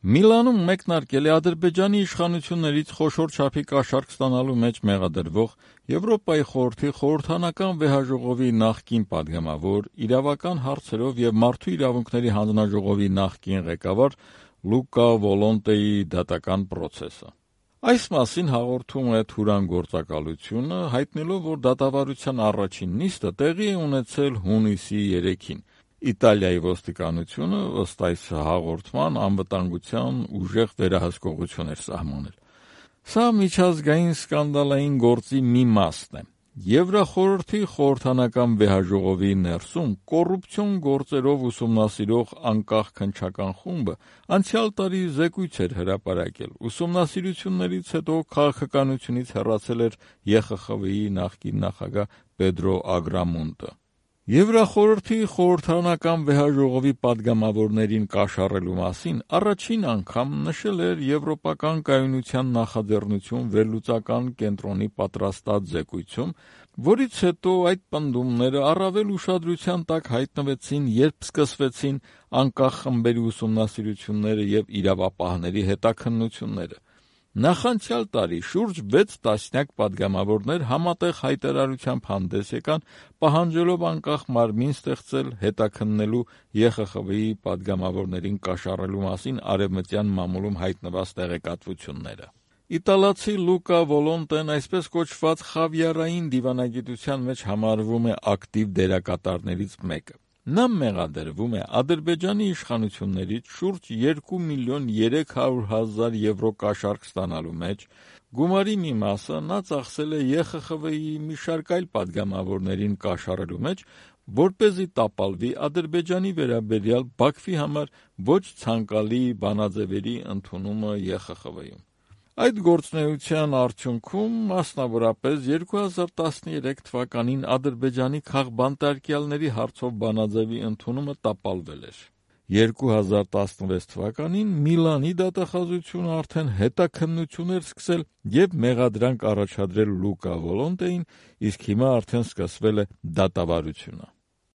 Միլանում մեկնարկել է Ադրբեջանի իշխանություններից խոշոր չափի կաշառք ստանալու մեջ մեղադրվող Եվրոպայի խորհրդի խորհրդանական վեհաժողովի նախկին պատգամավոր, իրավական հարցերով և մարդու իրավունքների հանձնաժողովի նախկին ղեկավար Լուկա Վոլոնտեի դատական պրոցեսը։ Այս մասին հաղորդում է Թուրան գործակալությունը, հայտնելով, որ դատավարության առաջին նիստը տեղի է ունեցել հունիսի 3-ին։ Իտալիայի ոստիկանությունը, ըստ այս հաղորդման, անվտանգության ուժեղ վերահսկողություն էր սահմանել։ Սա միջազգային սկանդալային գործի մի մասն է։ Եվրախորհրդի խորհրդանական վեհաժողովի ներսում կոռուպցիոն գործերով ուսումնասիրող անկախ քննչական խումբը անցյալ տարի զեկույց էր հրապարակել։ Ուսումնասիրություններից հետո քաղաքականությունից հեռացել էր ԵԽԽՎ-ի նախկին նախագահ Պեդրո Ագրամոնտը։ Եվրախորհրդի խորհրդանական վեհաժողովի պատգամավորներին կաշառելու մասին առաջին անգամ նշել էր Եվրոպական կայունության նախաձեռնություն վերլուծական կենտրոնի պատրաստած զեկույցում, որից հետո այդ պնդումները առավել ուշադրության տակ հայտնվեցին, երբ սկսվեցին անկախ խմբերի ուսումնասիրությունները և իրավապահների հետաքննությունները։ Նախանցյալ տարի շուրջ 6 տասնյակ պատգամավորներ համատեղ հայտարարությամբ հանդես եկան, պահանջելով անկախ մարմին ստեղծել հետաքննելու ԵԽԽՎ-ի պատգամավորներին կաշառելու մասին արևմտյան մամուլում հայտնված տեղեկատվությունները։ Իտալացի Լուկա Վոլոնտեն այսպես կոչված խավիարային դիվանագիտության մեջ համարվում է ակտիվ դերակատարներից մեկը։ Նա մեղադրվում է Ադրբեջանի իշխանություններից շուրջ 2 միլիոն 300 հազար եվրո կաշառք ստանալու մեջ, գումարի մի մասը նա ծախսել է ԵԽԽՎ-ի մի շարք այլ պատգամավորներին կաշառելու մեջ, որպեսզի տապալվի Ադրբեջանի վերաբերյալ Բաքվի համար ոչ ցանկալի բանաձևերի ընդունումը ԵԽԽՎ-ում։ Այդ գործունեության արդյունքում, մասնավորապես 2013 թվականին Ադրբեջանի քաղբանտարկյալների հարցով բանաձևի ընդունումը տապալվել էր։ 2016 թվականին Միլանի դատախազությունը արդեն հետաքննություն էր սկսել և մեղադրանք առաջադրել Լուկա Վոլոնտեին, իսկ հիմա արդեն սկսվել է դատավարությունը։